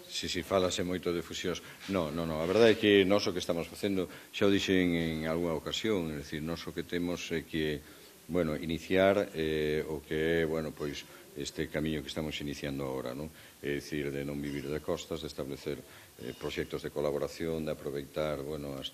Si falase moito de fusións. Non, a verdade é que nós o que estamos facendo, xa o dixen en algunha ocasión, é dicir, nós o que temos é que, iniciar o que é, pois, este camiño que estamos iniciando agora, non? É dicir, de non vivir de costas, de establecer proxectos de colaboración, de aproveitar,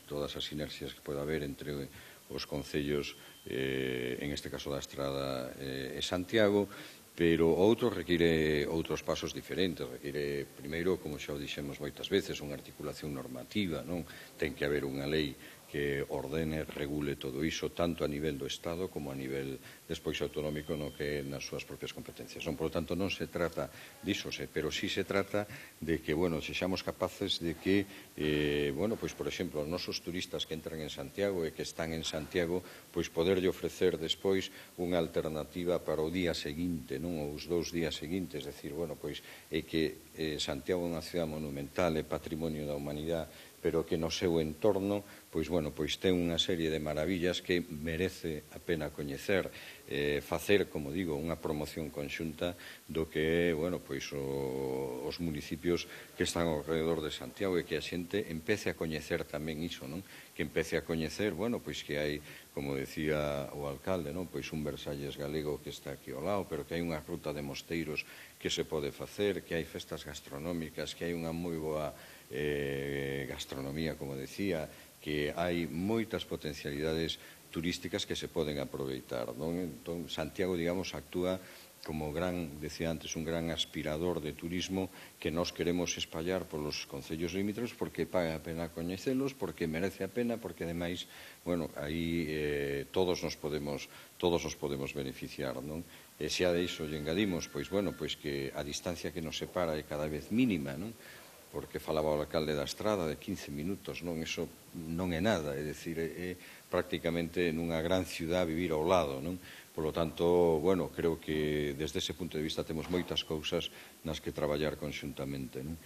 todas as sinerxias que pode haber entre os concellos, en este caso da Estrada e Santiago, pero outro require outros pasos diferentes, require, primeiro, como xa o dixemos moitas veces, unha articulación normativa, non? Ten que haber unha lei que ordene, regule todo iso, tanto a nivel do Estado como a nivel despois autonómico no que é nas súas propias competencias. Por lo tanto, non se trata diso, pero sí se trata de que, sexamos capaces de que, pois, por exemplo, os nosos turistas que entran en Santiago e que están en Santiago, pois poderlle ofrecer despois unha alternativa para o día seguinte, non? Ou os 2 días seguintes, decir, pois, é que Santiago é unha cidade monumental, é patrimonio da humanidade, pero que no seu entorno, pois ten unha serie de maravillas que merece a pena coñecer, facer, como digo, unha promoción conxunta do que é, os municipios que están ao redor de Santiago e que a xente empece a coñecer tamén iso, non? Que empece a coñecer, que hai, como decía o alcalde, non? Pois un Versalles galego que está aquí ao lado, pero que hai unha ruta de mosteiros que se pode facer, que hai festas gastronómicas, que hai unha moi boa gastronomía, como decía, que hai moitas potencialidades turísticas que se poden aproveitar, non? Entón, Santiago, digamos, actúa como decía antes, un gran aspirador de turismo que nós queremos espallar polos concellos limítrofes porque paga a pena coñecelos, porque merece a pena, porque, ademais, aí todos nos podemos beneficiar, non? E xa de iso lle engadimos, pois que a distancia que nos separa é cada vez mínima, non? Porque falaba o alcalde da Estrada de 15 minutos, non? Iso non é nada, é dicir, é prácticamente nunha gran ciudad vivir ao lado, non? Por lo tanto, creo que desde ese punto de vista temos moitas cousas nas que traballar conxuntamente, non?